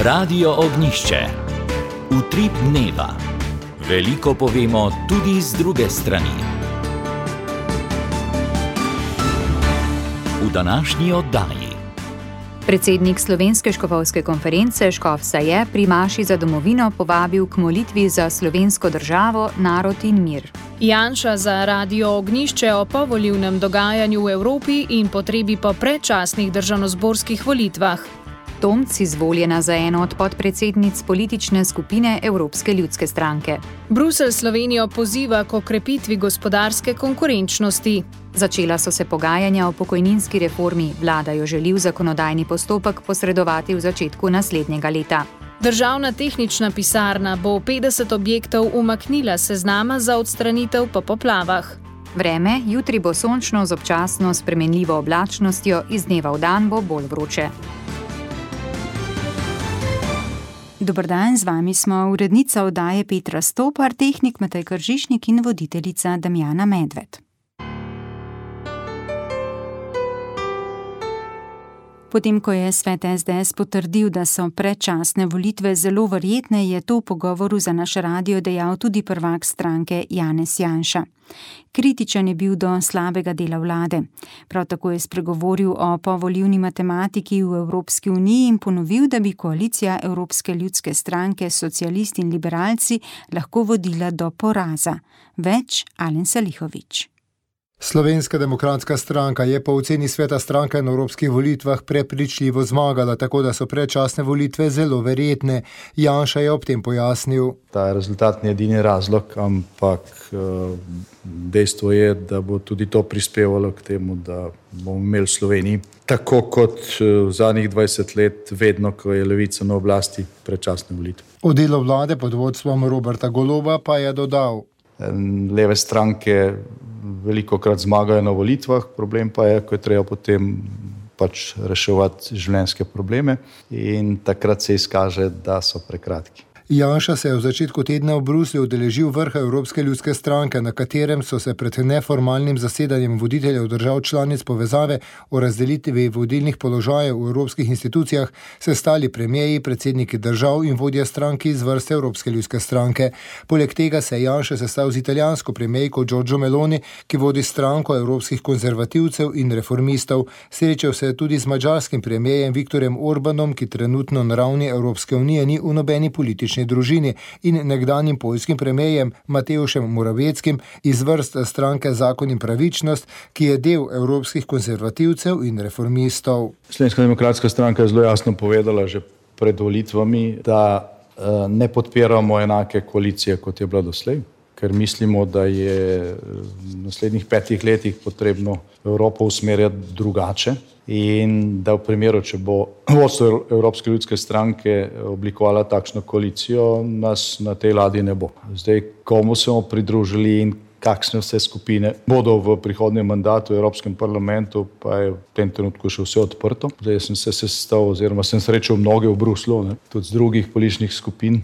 Radio Ognjišče. Utrip dneva. Veliko povemo tudi z druge strani. V današnji oddaji. Predsednik Slovenske škofovske konference Škof Saje pri maši za domovino povabil k molitvi za slovensko državo, narod in mir. Janša za Radio Ognjišče o povolilnem dogajanju v Evropi in potrebi po predčasnih državnozborskih volitvah. Tomc izvoljena za eno od podpredsednic politične skupine Evropske ljudske stranke. Bruselj Slovenijo poziva k okrepitvi gospodarske konkurenčnosti. Začela so se pogajanja o pokojninski reformi, vlada jo želi v zakonodajni postopek posredovati v začetku naslednjega leta. Državna tehnična pisarna bo 50 objektov umaknila s seznama za odstranitev po poplavah. Vreme, jutri bo sončno z občasno spremenljivo oblačnostjo, iz dneva v dan bo bolj vroče. Dober dan, z vami smo urednica oddaje Petra Stopar, tehnik Matej Kržišnik in voditeljica Damjana Medved. Potem, ko je svet SDS potrdil, da so predčasne volitve zelo verjetne, je to v pogovoru za naš radio dejal tudi prvak stranke Janez Janša. Kritičen je bil do slabega dela vlade. Prav tako je spregovoril o povolilni matematiki v Evropski uniji in ponovil, da bi koalicija Evropske ljudske stranke, socialisti in liberalci lahko vodila do poraza. Več Alen Salihović. Slovenska demokratska stranka je po oceni sveta stranke na evropskih volitvah prepričljivo zmagala, tako da so predčasne volitve zelo verjetne. Janša je ob tem pojasnil. Ta rezultat ni edini razlog, ampak dejstvo je, da bo tudi to prispevalo k temu, da bomo imeli v Sloveniji, tako kot v zadnjih 20 let, vedno, ko je levica na oblasti, predčasne volitve. O delu vlade pod vodstvom Roberta Goloba pa je dodal. Leve stranke velikokrat zmagajo na volitvah, problem pa je, ko je treba potem reševati življenjske probleme in takrat se izkaže, da so prekratki. Janša se je v začetku tedna v Bruslju udeležil vrha Evropske ljudske stranke, na katerem so se pred neformalnim zasedanjem voditeljev držav članic povezave o razdelitvi vodilnih položajev v evropskih institucijah sestali premierji, predsedniki držav in vodje strank iz vrste Evropske ljudske stranke. Poleg tega se je Janša sestal z italijansko premierko Giorgio Meloni, ki vodi stranko evropskih konzervativcev in reformistov. Srečal se je tudi z madžarskim premierjem Viktorjem Orbanom, ki trenutno na ravni Evropske unije ni v nobeni politični družini, in nekdanjim poljskim premierjem Mateušem Morawieckim iz vrst stranke Zakon in pravičnost, ki je del evropskih konzervativcev in reformistov. Slovenska demokratska stranka je zelo jasno povedala že pred volitvami, da ne podpiramo enake koalicije, kot je bila doslej, ker mislimo, da je v naslednjih 5 letih potrebno Evropo usmerjati drugače in da v primeru, če bo vodstvo Evropske ljudske stranke oblikovala takšno koalicijo, nas na tej ladji ne bo. Zdaj, komu se bomo pridružili in kakšne vse skupine bodo v prihodnjem mandatu v Evropskem parlamentu, pa je v tem trenutku še vse odprto. Zdaj sem se sestal oziroma sem srečal mnoge v Bruslju, tudi z drugih političnih skupin,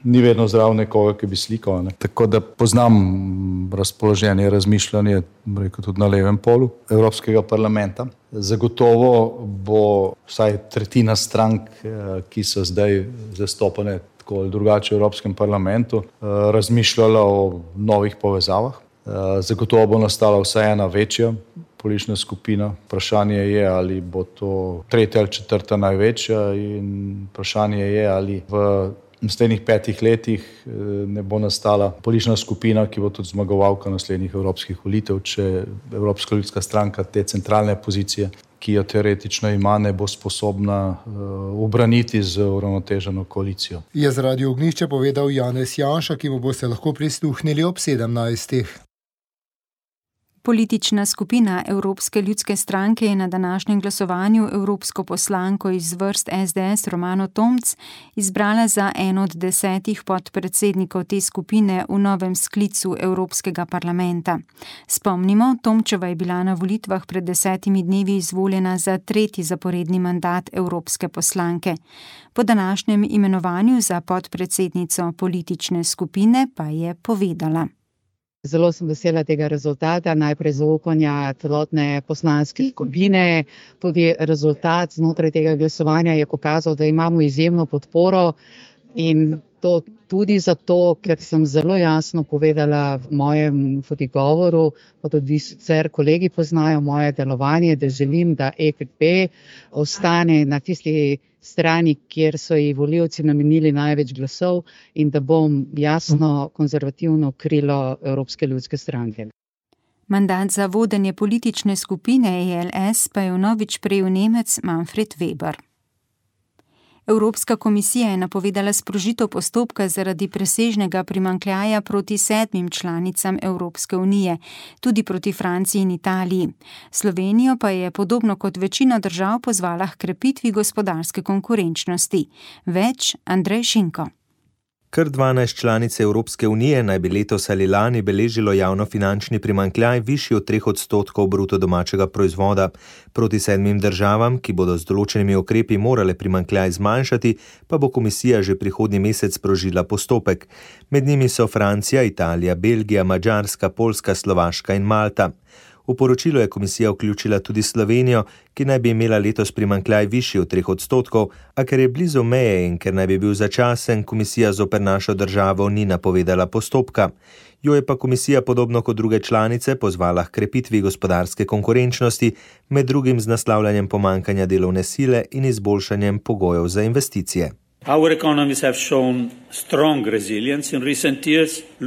ni vedno zdrav nekoga, ki bi slikal. Tako da poznam razpoloženje, razmišljanje, rekel tudi na levem polu Evropskega parlamenta. Zagotovo bo vsaj tretjina strank, ki so zdaj zastopane tako ali drugače v Evropskem parlamentu, razmišljala o novih povezavah. Zagotovo bo nastala vsaj ena večja politična skupina. Vprašanje je, ali bo to tretja ali četrta največja, in vprašanje je, ali v naslednjih 5 letih ne bo nastala politična skupina, ki bo tudi zmagovalka naslednjih evropskih volitev, če Evropska ljudska stranka te centralne pozicije, ki jo teoretično ima, ne bo sposobna ubraniti z uravnoteženo koalicijo. Je z Radio Ognjišče povedal Janez Janša, ki mu boste lahko prisluhnili ob 17. Politična skupina Evropske ljudske stranke je na današnjem glasovanju evropsko poslanko iz vrst SDS Romano Tomc izbrala za eno od 10 podpredsednikov te skupine v novem sklicu Evropskega parlamenta. Spomnimo, Tomčeva je bila na volitvah pred 10 dnevi izvoljena za 3. zaporedni mandat evropske poslanke. Po današnjem imenovanju za podpredsednico politične skupine pa je povedala. Zelo sem vesela tega rezultata, najprej zaupanja celotne poslanske skupine. Tudi rezultat znotraj tega glasovanja je pokazal, da imamo izjemno podporo in to tudi zato, ker sem zelo jasno povedala v mojem tudi govoru, pa tudi sicer kolegi poznajo moje delovanje, da želim, da EPP ostane na tisti strani, kjer so ji volivci namenili največ glasov in da bom jasno konzervativno krilo Evropske ljudske stranke. Mandat za vodenje politične skupine ELS pa je vnovič prejel Nemec Manfred Weber. Evropska komisija je napovedala sprožitev postopka zaradi presežnega primanjkljaja proti 7 članicam Evropske unije, tudi proti Franciji in Italiji. Slovenijo pa je podobno kot večina držav pozvala h krepitvi gospodarske konkurenčnosti. Več Andrej Šinko. Kar 12 članic Evropske unije naj bi letos ali lani beležilo javnofinančni primanjkljaj višji od 3% bruto domačega proizvoda. Proti 7 državam, ki bodo z določenimi ukrepi morale primanjkljaj zmanjšati, pa bo komisija že prihodnji mesec sprožila postopek. Med njimi so Francija, Italija, Belgija, Madžarska, Poljska, Slovaška in Malta. V poročilo je komisija vključila tudi Slovenijo, ki naj bi imela letos primanjkljaj višji od 3%, a ker je blizu meje in ker naj bi bil začasen, komisija zoper našo državo ni napovedala postopka. Jo je pa komisija podobno kot druge članice pozvala h krepitvi gospodarske konkurenčnosti, med drugim z naslavljanjem pomanjkanja delovne sile in izboljšanjem pogojev za investicije.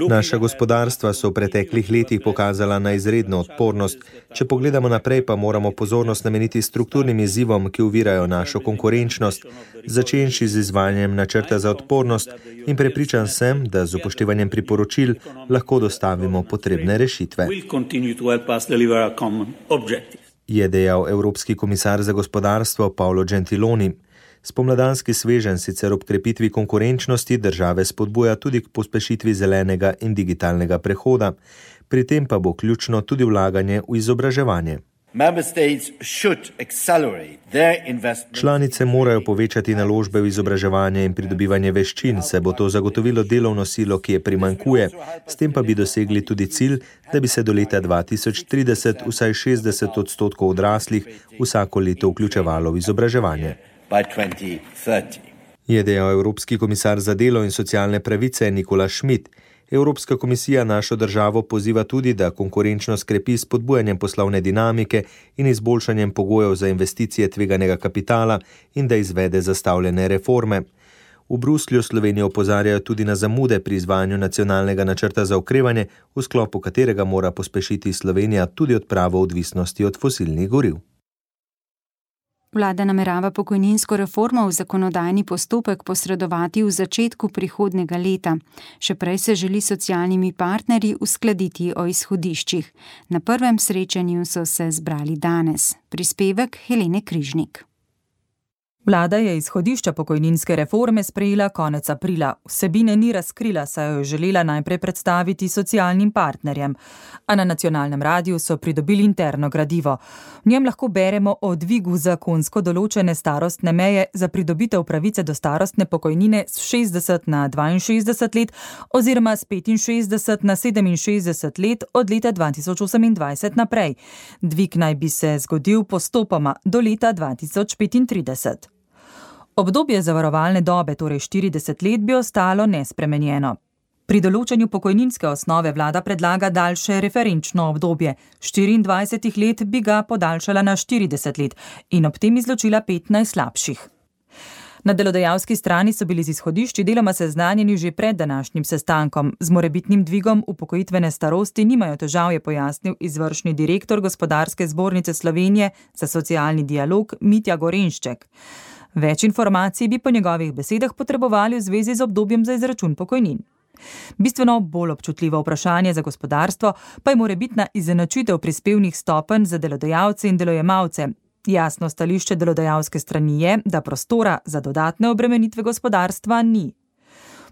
Naša gospodarstva so v preteklih letih pokazala na izredno odpornost. Če pogledamo naprej, pa moramo pozornost nameniti strukturnim izzivom, ki ovirajo našo konkurenčnost, začenši z izvajanjem načrta za odpornost in prepričan sem, da z upoštevanjem priporočil lahko dostavimo potrebne rešitve. Je dejal Evropski komisar za gospodarstvo Paolo Gentiloni. Spomladanski sveženj sicer ob krepitvi konkurenčnosti države spodbuja tudi k pospešitvi zelenega in digitalnega prehoda, pri tem pa bo ključno tudi vlaganje v izobraževanje. Članice morajo povečati naložbe v izobraževanje in pridobivanje veščin, saj bo to zagotovilo delovno silo, ki je primanjkuje, s tem pa bi dosegli tudi cilj, da bi se do leta 2030 vsaj 60% odraslih vsako leto vključevalo v izobraževanje. Je dejal Evropski komisar za delo in socialne pravice Nikola Schmidt. Evropska komisija našo državo poziva tudi, da konkurenčnost krepi s spodbujanjem poslovne dinamike in izboljšanjem pogojev za investicije tveganega kapitala in da izvede zastavljene reforme. V Bruslju Slovenijo opozarjajo tudi na zamude pri izvajanju nacionalnega načrta za okrevanje, v sklopu katerega mora pospešiti Slovenija tudi odpravo odvisnosti od fosilnih goriv. Vlada namerava pokojninsko reformo v zakonodajni postopek posredovati v začetku prihodnjega leta. Še prej se želi s socialnimi partnerji uskladiti o izhodiščih. Na prvem srečanju so se zbrali danes. Prispevek Helene Križnik. Vlada je izhodišča pokojninske reforme sprejela konec aprila. Vsebine ni razkrila, saj jo je želela najprej predstaviti socialnim partnerjem. A na nacionalnem radiju so pridobili interno gradivo. V njem lahko beremo o dvigu zakonsko določene starostne meje za pridobitev pravice do starostne pokojnine s 60 na 62 let oziroma s 65 na 67 let od leta 2028 naprej. Dvig naj bi se zgodil postopoma do leta 2035. Obdobje zavarovalne dobe, torej 40 let, bi ostalo nespremenjeno. Pri določanju pokojninske osnove vlada predlaga daljše referenčno obdobje. 24 let bi ga podaljšala na 40 let in ob tem izločila 15 slabših. Na delodajalski strani so bili z izhodišči deloma seznanjeni že pred današnjim sestankom. Z morebitnim dvigom upokojitvene starosti nimajo težav, je pojasnil izvršni direktor Gospodarske zbornice Slovenije za socialni dialog Mitja Gorenšček. Več informacij bi po njegovih besedah potrebovali v zvezi z obdobjem za izračun pokojnin. Bistveno bolj občutljivo vprašanje za gospodarstvo pa je morebitna izenačitev prispevnih stopenj za delodajalce in delojemalce. Jasno stališče delodajalske strani je, da prostora za dodatne obremenitve gospodarstva ni.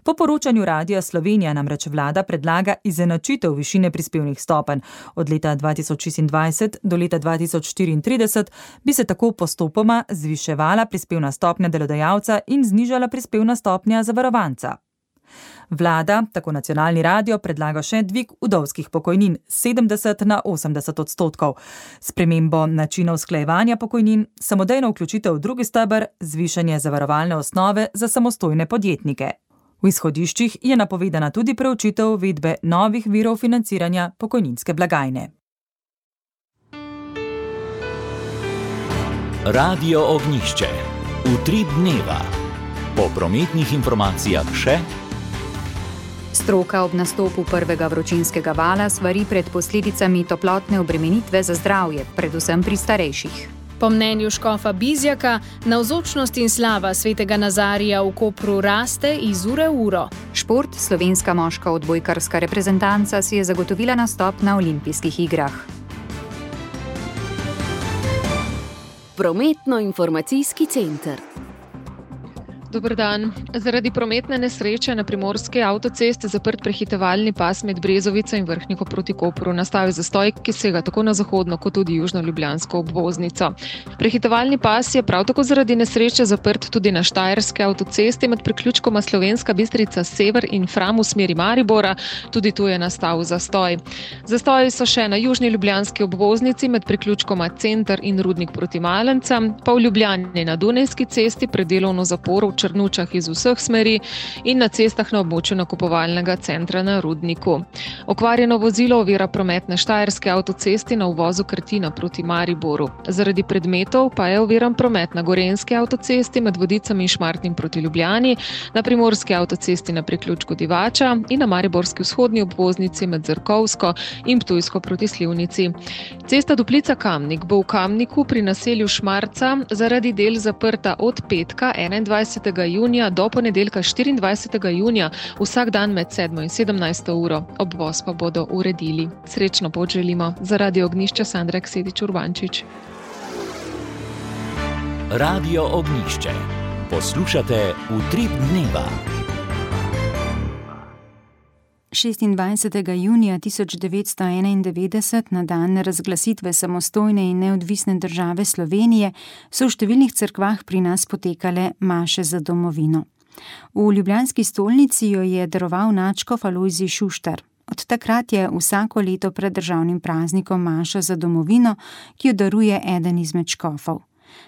Po poročanju Radia Slovenija namreč vlada predlaga izenačitev višine prispevnih stopenj. Od leta 2026 do leta 2034 bi se tako postopoma zviševala prispevna stopnja delodajalca in znižala prispevna stopnja zavarovanca. Vlada, tako nacionalni radio, predlaga še dvig vdovskih pokojnin 70 na 80%. Spremembo načina usklajevanja pokojnin, samodejno vključitev v drugi steber, zvišanje zavarovalne osnove za samostojne podjetnike. V izhodiščih je napovedana tudi preučitev uvedbe novih virov financiranja pokojninske blagajne. Radio Ognjišče. Utrip dneva. Po prometnih informacijah še. Stroka ob nastopu prvega vročinskega vala svari pred posledicami toplotne obremenitve za zdravje, predvsem pri starejših. Po mnenju škofa Bizjaka, navzočnost in slava svetega Nazarija v Kopru raste iz ure v uro. Šport, slovenska moška odbojkarska reprezentanca si je zagotovila nastop na olimpijskih igrah. Prometno-informacijski center. Dober dan. Zaradi prometne nesreče na primorski avtocesti zaprt prehitevalni pas med Brezovico in Vrhniko proti Kopru. Nastal je zastoj, ki sega tako na zahodno kot tudi južno ljubljansko obvoznico. Prehitevalni pas je prav tako zaradi nesreče zaprt tudi na štajerski avtocesti med priključkoma Slovenska Bistrica Sever in Fram v smeri Maribora. Tudi tu je nastal zastoj. Zastoji so še na južni ljubljanski obvoznici med priključkoma Center in Rudnik proti Malencem, pa v Ljubljani na Dunajski cesti pred delovno zaporo v Črnučah iz vseh smeri in na cestah na območju nakupovalnega centra na Rudniku. Okvarjeno vozilo ovira promet na štajerski avtocesti na uvozu Krtina proti Mariboru. Zaradi predmetov pa je oviran promet na gorenjski avtocesti med Vodicami in Šmartnim proti Ljubljani, na primorski avtocesti na priključku Divača in na mariborski vzhodni obvoznici med Zrkovsko in Ptujsko proti Slivnici. Cesta Duplica-Kamnik bo v Kamniku pri naselju Šmarca zaradi del zaprta od petka 21. junija do ponedeljka 24. junija vsak dan med 7. in 17. uro. Obvoz pa bodo uredili. Srečno pot želimo. Za Radio Ognjišče Sandra Ksedič-Urbančič. Radio Ognjišče. Poslušate Utrip dneva. 26. junija 1991, na dan razglasitve samostojne in neodvisne države Slovenije, so v številnih cerkvah pri nas potekale maše za domovino. V ljubljanski stolnici jo je daroval nadškof Alojzij Šuštar. Od takrat je vsako leto pred državnim praznikom maša za domovino, ki jo daruje eden izmed škofov.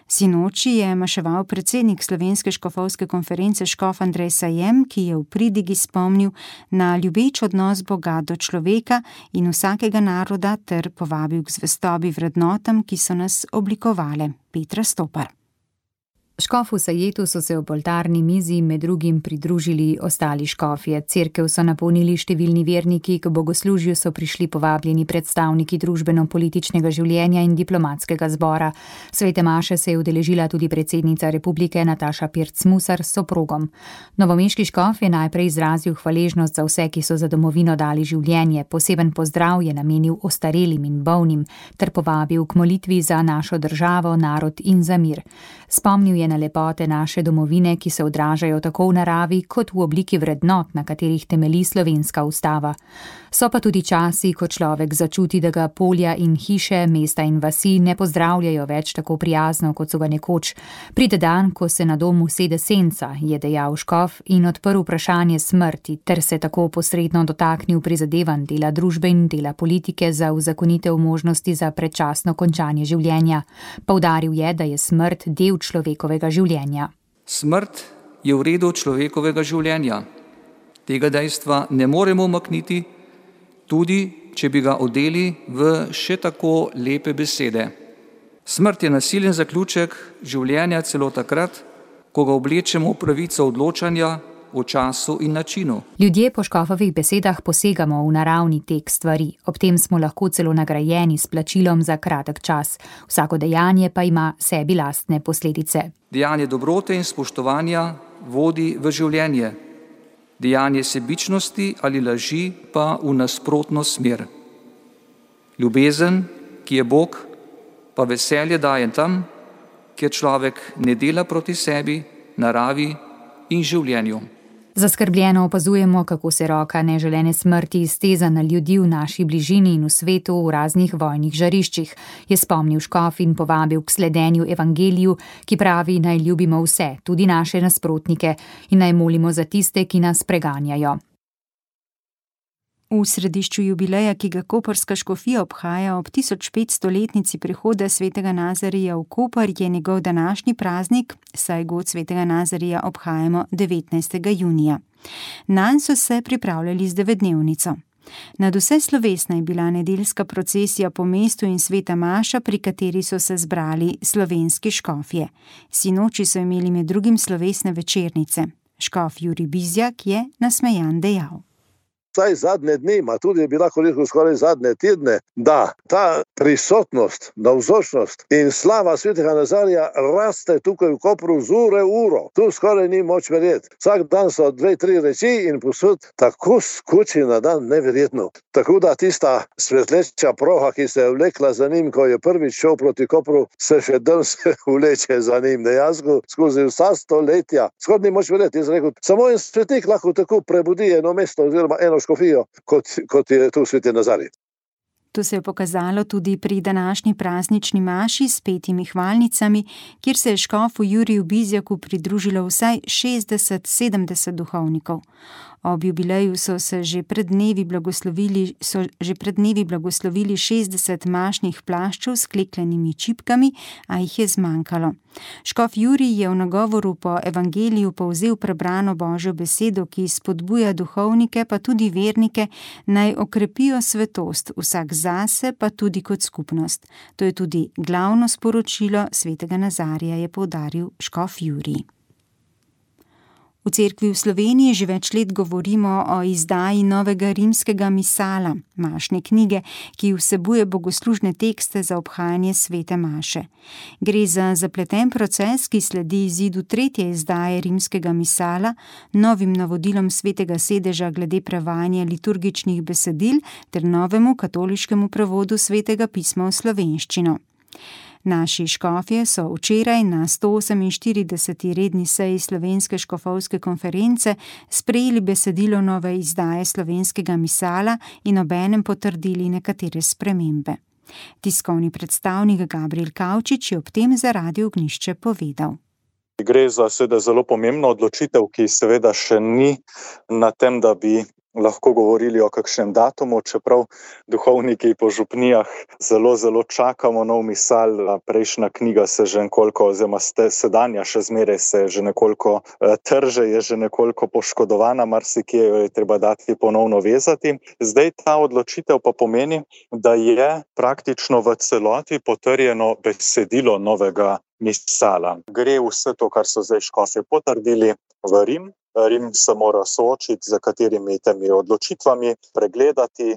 Sinoči je maševal predsednik Slovenske škofovske konference škof Andrej Sajem, ki je v pridigi spomnil na ljubeč odnos Boga do človeka in vsakega naroda ter povabil k zvestobi vrednotam, ki so nas oblikovale. Petra Stopar. Škofu Sajetu so se ob oltarni mizi med drugim pridružili ostali škofje. Cerkev so napolnili številni verniki, k bogoslužju so prišli povabljeni predstavniki družbeno-političnega življenja in diplomatskega zbora. Svete maše se je udeležila tudi predsednica republike Nataša Pirc-Musar s soprogom. Novomeški škof je najprej izrazil hvaležnost za vse, ki so za domovino dali življenje. Poseben pozdrav je namenil ostarelim in bolnim ter povabil k molitvi za našo državo, narod in za mir. Spomnil je na lepote naše domovine, ki se odražajo tako v naravi kot v obliki vrednot, na katerih temelji slovenska ustava. So pa tudi časi, ko človek začuti, da ga polja in hiše, mesta in vasi ne pozdravljajo več tako prijazno, kot so ga nekoč. Pride dan, ko se na domu sede senca, je dejal škof in odprl vprašanje smrti, ter se tako posredno dotaknil prizadevanj dela družbe in dela politike za uzakonitev možnosti za predčasno končanje življenja. Poudaril je, da je smrt del človekovega življenja. Smrt je v redu človekovega življenja. Tega dejstva ne moremo umakniti, tudi če bi ga odeli v še tako lepe besede. Smrt je nasilen zaključek življenja celo takrat, ko ga oblečemo v pravico odločanja o času in načinu. Ljudje po škofovih besedah posegamo v naravni tek stvari, ob tem smo lahko celo nagrajeni s plačilom za kratek čas. Vsako dejanje pa ima sebi lastne posledice. Dejanje dobrote in spoštovanja vodi v življenje. Dejanje sebičnosti ali laži pa v nasprotno smer. Ljubezen, ki je Bog, pa veselje daje tam, kjer človek ne dela proti sebi, naravi in življenju. Zaskrbljeno opazujemo, kako se roka neželene smrti izteza na ljudi v naši bližini in v svetu v raznih vojnih žariščih, je spomnil škof in povabil k sledenju evangeliju, ki pravi, naj ljubimo vse, tudi naše nasprotnike, in naj molimo za tiste, ki nas preganjajo. V središču jubileja, ki ga koprska škofija obhaja ob 1500-letnici prihoda svetega Nazarija v Koper, je njegov današnji praznik, saj god svetega Nazarija obhajamo 19. junija. Nanj so se pripravljali z 9-dnevnico. Nadvse slovesna je bila nedeljska procesija po mestu in sveta maša, pri kateri so se zbrali slovenski škofje. Sinoči so imeli med drugim slovesne večernice. Škof Jurij Bizjak je nasmejan dejal. Vsaj zadnje dni, ma tudi je bila koliko skoraj zadnje tedne, da ta prisotnost, navzočnost in slava svetega Nazarija raste tukaj v Kopru z ure v uro. Tu skoraj ni moč verjeti. Vsak dan so 2-3 reči in posod tako skoči na dan, neverjetno. Tako da tista svetleča proha, ki se je vlekla za njim, ko je prvič šel proti Kopru, se še danes vleče za njim. Dejansko skozi vsa stoletja. Skoraj ni moč verjeti. Jaz rekel, samo en svetnik lahko tako prebudi eno mesto oziroma eno škofijo, kot je tu sveti Nazarij. To se je pokazalo tudi pri današnji praznični maši s 5 hvalnicami, kjer se je škofu Juriju Bizjaku pridružilo vsaj 60-70 duhovnikov. Ob jubileju so že pred dnevi blagoslovili 60 mašnih plaščev s kleklenimi čipkami, a jih je zmanjkalo. Škof Jurij je v nagovoru po evangeliju povzel prebrano Božjo besedo, ki spodbuja duhovnike, pa tudi vernike, naj okrepijo svetost, vsak zase, pa tudi kot skupnost. To je tudi glavno sporočilo svetega Nazarija, je poudaril škof Jurij. V cerkvi v Sloveniji že več let govorimo o izdaji novega rimskega misala, mašne knjige, ki vsebuje bogoslužne tekste za obhajanje svete maše. Gre za zapleten proces, ki sledi izidu 3. izdaje rimskega misala, novim navodilom svetega sedeža glede prevajanja liturgičnih besedil ter novemu katoliškemu prevodu svetega pisma v slovenščino. Naši škofje so včeraj na 148. redni seji Slovenske škofovske konference sprejeli besedilo nove izdaje slovenskega misala in obenem potrdili nekatere spremembe. Tiskovni predstavnik Gabriel Kavčič je ob tem za Radio Ognjišče povedal. Gre za seveda zelo pomembno odločitev, ki seveda še ni na tem, da bi lahko govorili o kakšnem datumu, čeprav duhovniki po župnijah zelo čakamo nov misal. Prejšnja knjiga se že nekoliko, oziroma sedanja še zmeraj se že nekoliko trže, je že nekoliko poškodovana, marsikje jo je treba dati ponovno vezati. Zdaj ta odločitev pa pomeni, da je praktično v celoti potrjeno besedilo novega misala. Gre vse to, kar so zdaj škofje potrdili, v Rim. Rim se mora soočiti z katerimi temi odločitvami, pregledati.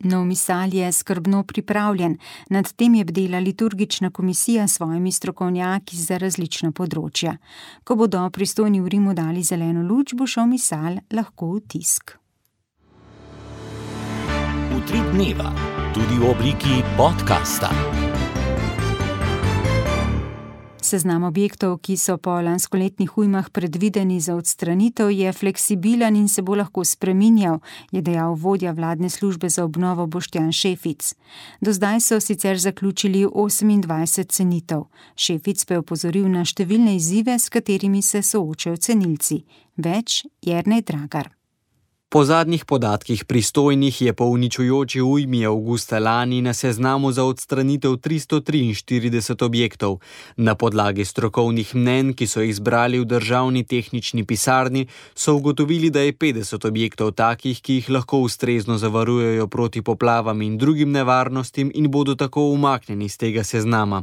Nov misal je skrbno pripravljen. Nad tem je bdela liturgična komisija s svojimi strokovnjaki za različna področja. Ko bodo pristojni v Rimu dali zeleno luč, bo šel misal lahko v tisk. Utrip dneva, tudi v obliki podcasta. Seznam objektov, ki so po lanskoletnih ujmah predvideni za odstranitev, je fleksibilen in se bo lahko spreminjal, je dejal vodja vladne službe za obnovo Boštjan Šefic. Do zdaj so sicer zaključili 28 cenitev. Šefic pa je opozoril na številne izzive, s katerimi se soočajo cenilci. Več Jernej Dragar. Po zadnjih podatkih pristojnih je po uničujoči ujmi avgusta lani na seznamu za odstranitev 343 objektov. Na podlagi strokovnih mnenj, ki so jih zbrali v državni tehnični pisarni, so ugotovili, da je 50 objektov takih, ki jih lahko ustrezno zavarujejo proti poplavam in drugim nevarnostim in bodo tako umaknjeni z tega seznama.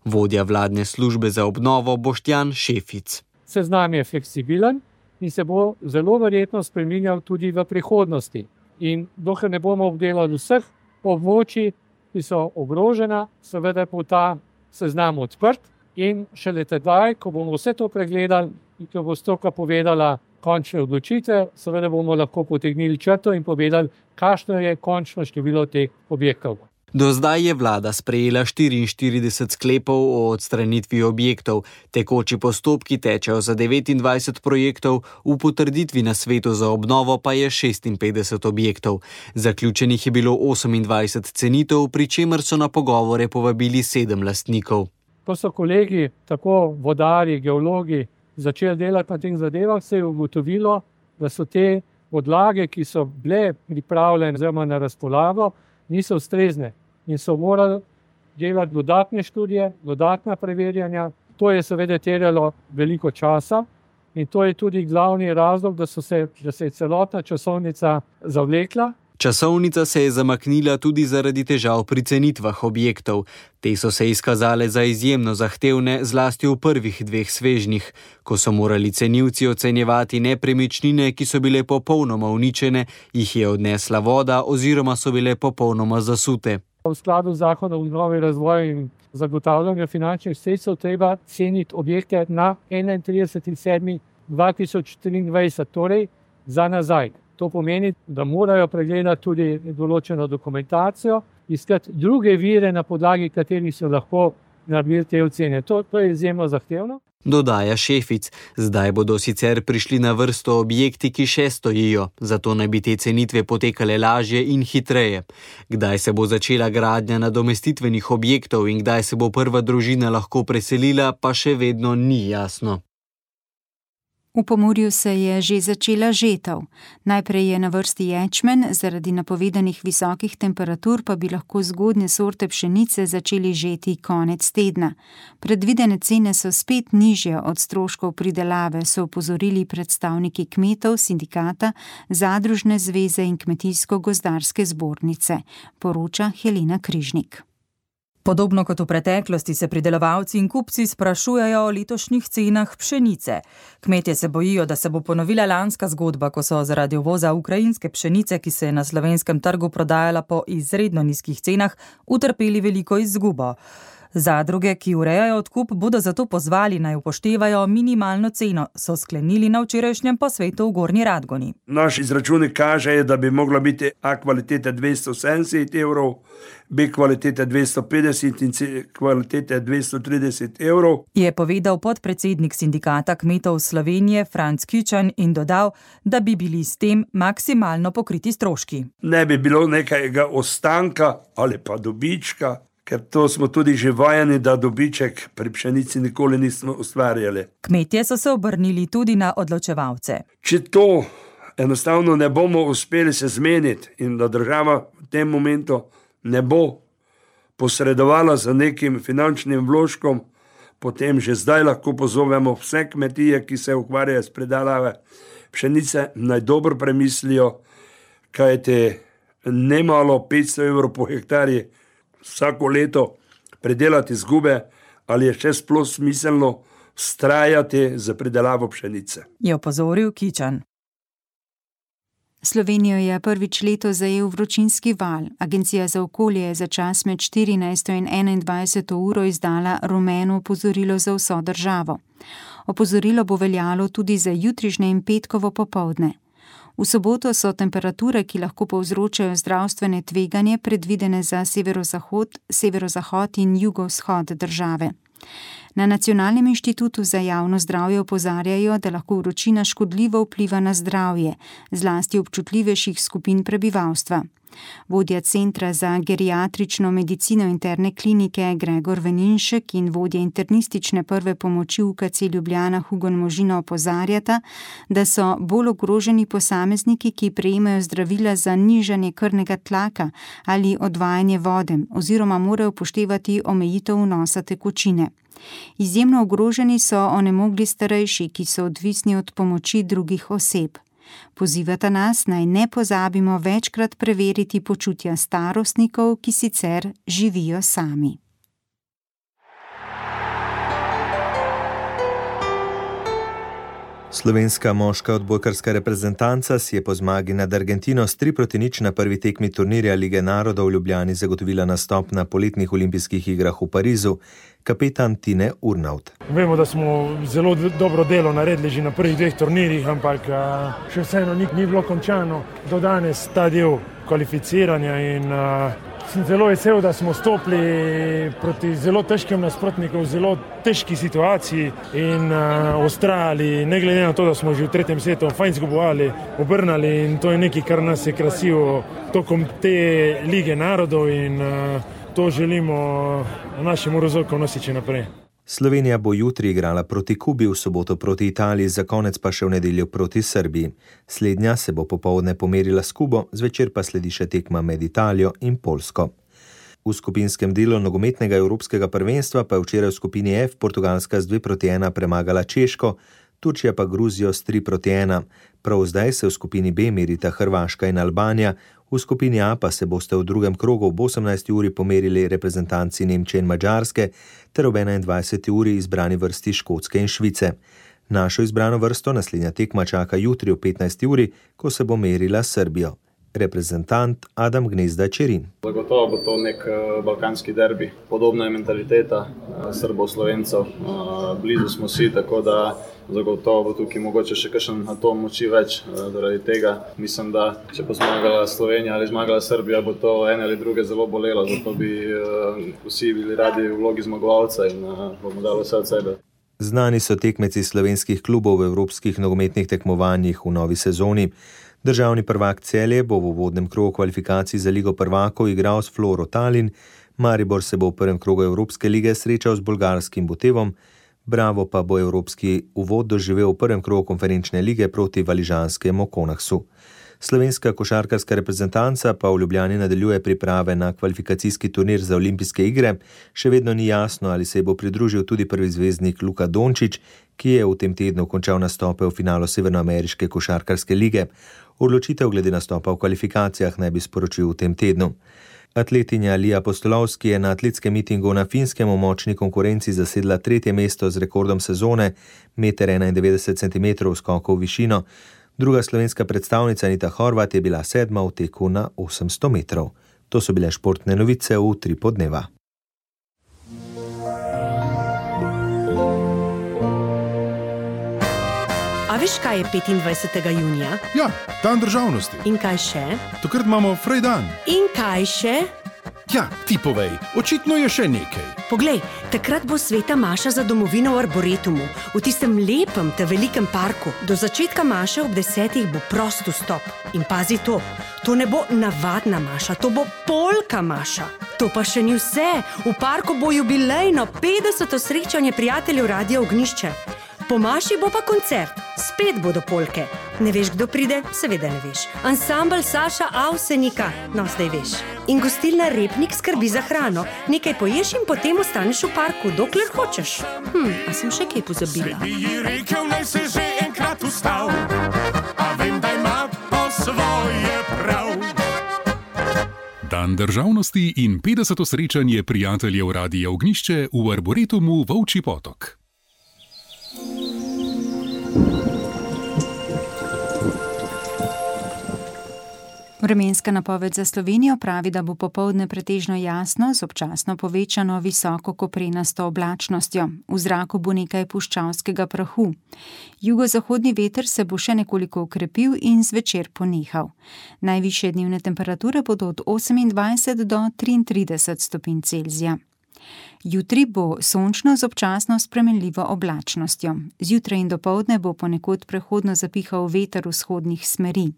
Vodja vladne službe za obnovo Boštjan Šefic. Seznam je fleksibilen in se bo zelo verjetno spreminjal tudi v prihodnosti. In dokler ne bomo obdelali vseh območij, ki so ogrožena, seveda bo ta seznam odprt in šele tedaj, ko bomo vse to pregledali in ko bo stroka povedala končne odločitve, seveda bomo lahko potegnili črto in povedali, kakšno je končno število teh objektov. Do zdaj je vlada sprejela 44 sklepov o odstranitvi objektov, tekoči postopki tečejo za 29 projektov, v potrditvi na svetu za obnovo pa je 56 objektov. Zaključenih je bilo 28 cenitev, pri čemer so na pogovore povabili 7 lastnikov. Ko so kolegi, tako vodarji, geologi, začeli delati na teh zadevah, se je ugotovilo, da so te podlage, ki so bile pripravljene oziroma na razpolago, niso ustrezne. In so morali delati dodatne študije, dodatna preverjanja. To je seveda terjalo veliko časa in to je tudi glavni razlog, da se je celotna časovnica zavlekla. Časovnica se je zamaknila tudi zaradi težav pri cenitvah objektov. Te so se izkazale za izjemno zahtevne, zlasti v prvih 2 svežnjih, ko so morali cenilci ocenjevati nepremičnine, ki so bile popolnoma uničene, jih je odnesla voda oziroma so bile popolnoma zasute. V skladu z zakonom o obnovi, razvoju in zagotavljanju finančnih sredstev treba ceniti objekte na 31.7.2023, torej za nazaj. To pomeni, da morajo pregledati tudi določeno dokumentacijo, iskati druge vire, na podlagi katerih so lahko naredili te ocene. To je izjemno zahtevno. Dodaja Šefic, zdaj bodo sicer prišli na vrsto objekti, ki še stojijo, zato naj bi te cenitve potekale lažje in hitreje. Kdaj se bo začela gradnja nadomestitvenih objektov in kdaj se bo prva družina lahko preselila, pa še vedno ni jasno. V Pomurju se je že začela žetev. Najprej je na vrsti ječmen, zaradi napovedanih visokih temperatur pa bi lahko zgodnje sorte pšenice začeli žeti konec tedna. Predvidene cene so spet nižje od stroškov pridelave, so opozorili predstavniki kmetov, sindikata, zadružne zveze in kmetijsko-gozdarske zbornice, poroča Helena Križnik. Podobno kot v preteklosti se pridelovalci in kupci sprašujejo o letošnjih cenah pšenice. Kmetje se bojijo, da se bo ponovila lanska zgodba, ko so zaradi uvoza ukrajinske pšenice, ki se je na slovenskem trgu prodajala po izredno nizkih cenah, utrpeli veliko izgubo. Zadruge, ki urejajo odkup, bodo zato pozvali naj upoštevajo minimalno ceno, so sklenili na včerajšnjem posvetu v Gornji Radgoni. Naš izračuni kažejo, da bi mogla biti A kvalitete 270 evrov, B kvalitete 250 in C kvalitete 230 evrov. Je povedal podpredsednik sindikata kmetov Slovenije Franc Kičan in dodal, da bi bili s tem maksimalno pokriti stroški. Ne bi bilo nekajega ostanka ali pa dobička, ker to smo tudi že vajeni, da dobiček pri pšenici nikoli nismo ustvarjali. Kmetje so se obrnili tudi na odločevalce. Če to enostavno ne bomo uspeli se zmeniti in da država v tem momentu ne bo posredovala za nekim finančnim vložkom, potem že zdaj lahko pozovemo vse kmetije, ki se ukvarjajo s predelavo pšenice, naj dobro premislijo, kajti nemalo 500 evrov po hektarji vsako leto predelati izgube, ali je še sploh smiselno vztrajati za predelavo pšenice. Je opozoril Kičan. Slovenijo je prvič letos zajel vročinski val. Agencija za okolje je za čas med 14. in 21. uro izdala rumeno opozorilo za vso državo. Opozorilo bo veljalo tudi za jutrišnje in petkovo popoldne. V soboto so temperature, ki lahko povzročajo zdravstvene tveganje, predvidene za severozahod in jugovzhod države. Na Nacionalnem inštitutu za javno zdravje opozarjajo, da lahko vročina škodljivo vpliva na zdravje, zlasti občutljivejših skupin prebivalstva. Vodja Centra za geriatrično medicino interne klinike Gregor Veninšek in vodja internistične prve pomoči UKC Ljubljana Hugon Možina opozarjata, da so bolj ogroženi posamezniki, ki prejemajo zdravila za nižanje krvnega tlaka ali odvajanje vode oziroma morajo upoštevati omejitev vnosa tekočine. Izjemno ogroženi so onemogli starejši, ki so odvisni od pomoči drugih oseb. Pozivata nas, naj ne pozabimo večkrat preveriti počutja starostnikov, ki sicer živijo sami. Slovenska moška odbojkarska reprezentanca si je po zmagi nad Argentino s 3-0 na prvi tekmi turnirja Lige narodov v Ljubljani zagotovila nastop na poletnih olimpijskih igrah v Parizu. Kapetan Tine Urnaut. Vemo, da smo zelo dobro delo naredili že na prvih 2 turnirjih, ampak še vseeno ni bilo končano do danes ta del kvalificiranja in Sem zelo vesel, da smo stopili proti zelo težkim nasprotnikom, v zelo težki situaciji in ustrajali, ne glede na to, da smo že v 3. setu fajn zgubovali, obrnali in to je nekaj, kar nas je krasilo tokom te lige narodov in to želimo našim Morozokom nositi naprej. Slovenija bo jutri igrala proti Kubi, v soboto proti Italiji, za konec pa še v nedeljo proti Srbiji. Slednja se bo popoldne pomerila s Kubo, zvečer pa sledi še tekma med Italijo in Poljsko. V skupinskem delu nogometnega evropskega prvenstva pa je včeraj v skupini F Portugalska z 2-1 premagala Češko, Turčija pa Gruzijo s 3-1. Prav zdaj se v skupini B merita Hrvaška in Albanija, v skupini A pa se boste v drugem krogu ob 18. uri pomerili reprezentanci Nemčije in Madžarske ter ob 21. uri izbrani vrsti Škotske in Švice. Našo izbrano vrsto naslednja tekma čaka jutri ob 15. uri, ko se bo merila s Srbijo. Reprezentant Adam Gnezda Čerin. Zagotovo bo to nek balkanski derbi. Podobna je mentaliteta Srbov-Slovencev. Blizu smo si, tako da zagotovo bo tukaj mogoče še kakšen atom moči več. Zaradi tega mislim, da če bo zmagala Slovenija ali zmagala Srbija, bo to ene ali druge zelo bolelo. Zato bi vsi bili radi v vlogi zmagovalca in bomo dali vse od sebe. Znani so tekmeci slovenskih klubov v evropskih nogometnih tekmovanjih v novi sezoni. Državni prvak Celje bo v uvodnem krogu kvalifikacij za Ligo prvakov igral s Floro Tallinn, Maribor se bo v prvem krogu Evropske lige srečal z bolgarskim Botevom, Bravo pa bo evropski uvod doživel v prvem krogu konferenčne lige proti valižanskemu Konaksu. Slovenska košarkarska reprezentanca pa v Ljubljani nadaljuje priprave na kvalifikacijski turnir za olimpijske igre. Še vedno ni jasno, ali se bo pridružil tudi prvi zvezdnik Luka Dončić, ki je v tem tednu končal nastope v finalu Severnoameriške košarkarske lige. Odločitev glede nastopa v kvalifikacijah naj bi sporočil v tem tednu. Atletinja Lija Postolovski je na atletskem mitingu na Finskem v močni konkurenci zasedla 3. mesto z rekordom sezone, 1,91 cm skokov v višino. Druga slovenska predstavnica Anita Horvat je bila 7. v teku na 800 metrov. To so bile športne novice v Utrip dneva. A veš, kaj je 25. junija? Ja, dan državnosti. In kaj še? Takrat imamo Frej dan. In kaj še? Ja, ti povej, očitno je še nekaj. Poglej, takrat bo sveta maša za domovino v Arboretumu, v tistem lepem te velikem parku. Do začetka maše ob 10. bo prost vstop. In pazi to ne bo navadna maša, to bo polka maša. To pa še ni vse, v parku bo jubilejno 50. srečanje prijateljev Radia Ognjišče. Po maši bo pa koncert, spet bodo polke. Ne veš, kdo pride? Seveda ne veš. Ansambel Saša Avsenika, no zdaj veš. In gostilna Repnik skrbi za hrano. Nekaj poješ in potem ostaneš v parku, dokler hočeš. A sem še kaj pozabila? Če bi ji rekel, naj se že enkrat ustal, a vem, da ima po svoje prav. Dan državnosti in 50. srečanje prijateljev Radia Ognjišče v Arboretumu Volčji Potok. Vremenska napoved za Slovenijo pravi, da bo popoldne pretežno jasno z občasno povečano visoko koprenasto oblačnostjo. V zraku bo nekaj puščavskega prahu. Jugozahodni veter se bo še nekoliko okrepil in zvečer ponehal. Najvišje dnevne temperature bodo od 28 do 33 stopinj Celzija. Jutri bo sončno z občasno spremenljivo oblačnostjo. Zjutraj in dopoldne bo ponekod prehodno zapihal veter vzhodnih smeri.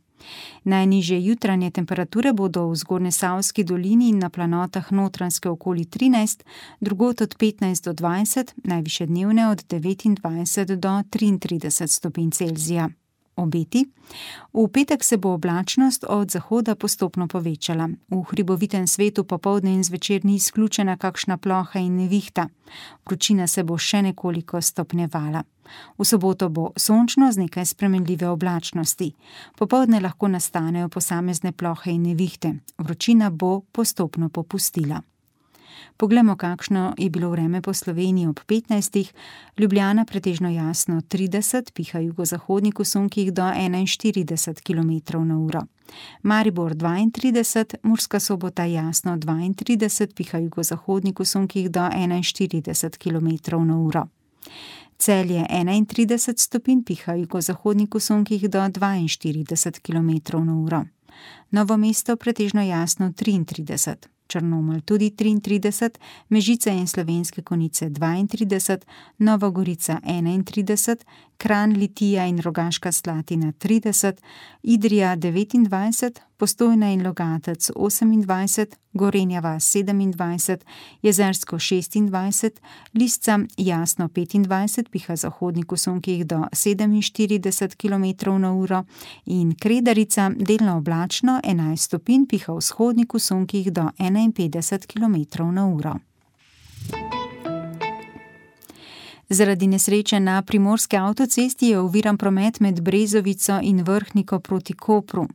Najnižje jutranje temperature bodo v Zgornjesavski dolini in na planotah Notranjske okoli 13, drugod od 15 do 20, najvišje dnevne od 29 do 33 stopinj Celzija. Obeti. V petek se bo oblačnost od zahoda postopno povečala. V hribovitem svetu popoldne in zvečer ni izključena kakšna ploha in nevihta. Vročina se bo še nekoliko stopnjevala. V soboto bo sončno z nekaj spremenljive oblačnosti. Popoldne lahko nastanejo posamezne plohe in nevihte. Vročina bo postopno popustila. Poglejmo, kakšno je bilo vreme po Sloveniji ob 15. Ljubljana pretežno jasno 30, piha jugozahodnik v sunkih do 41 km/h. Maribor 32, Murska Sobota jasno 32, piha jugozahodnik v sunkih do 41 km/h. Celje 31 stopinj, piha jugozahodnik v sunkih do 42 km/h. Novo mesto pretežno jasno 33. Črnomelj tudi 33, Mežica in Slovenske Konjice 32, Nova Gorica 31, Kranj, Litija in Rogaška Slatina 30, Idrija 29, Postojna in Logatec 28, Gorenja vas 27, Jezersko 26, Lisca jasno 25, piha zahodnik v sunkih do 47 km/h in Kredarica delno oblačno 11 stopinj, piha vzhodnik v sunkih do 51 km/h. Zaradi nesreče na primorski avtocesti je oviran promet med Brezovico in Vrhniko proti Kopru.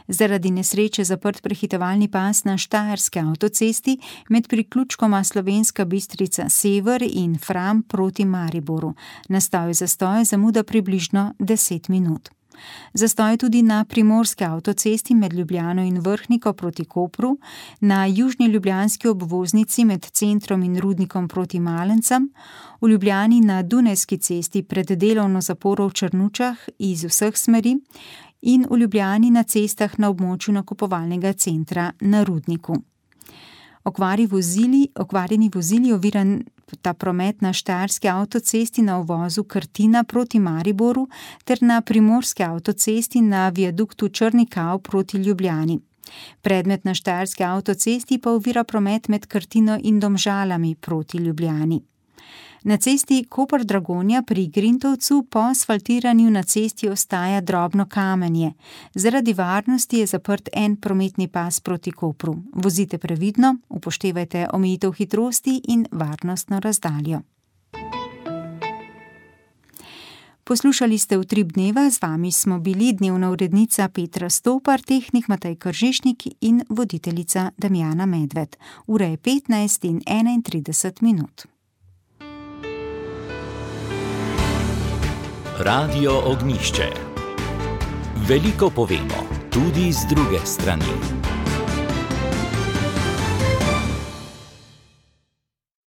Zaradi nesreče zaprt prehitevalni pas na štajerski avtocesti med priključkoma Slovenska Bistrica Sever in Fram proti Mariboru. Nastal je zastoj, zamuda približno 10 minut. Zastoj tudi na primorski avtocesti med Ljubljano in Vrhniko proti Kopru, na južni ljubljanski obvoznici med centrom in Rudnikom proti Malencem, v Ljubljani na Dunajski cesti pred delovno zaporo v Črnučah iz vseh smeri in v Ljubljani na cestah na območju nakupovalnega centra na Rudniku. Okvarjeni vozili oviran ta promet na štajerski avtocesti na uvozu Krtina proti Mariboru ter na primorski avtocesti na viaduktu Črni Kav proti Ljubljani. Predmet na štajerski avtocesti pa ovira promet med Krtino in Domžalami proti Ljubljani. Na cesti Koper-Dragonja pri Grintovcu po asfaltiranju na cesti ostaja drobno kamenje. Zaradi varnosti je zaprt en prometni pas proti Kopru. Vozite previdno, upoštevajte omejitev hitrosti in varnostno razdaljo. Poslušali ste Utrip dneva, z vami smo bili dnevna urednica Petra Stopar, tehnik Matej Kržišnik in voditeljica Damjana Medved. Ura je 15:31. Radio Ognjišče. Veliko povemo, tudi z druge strani.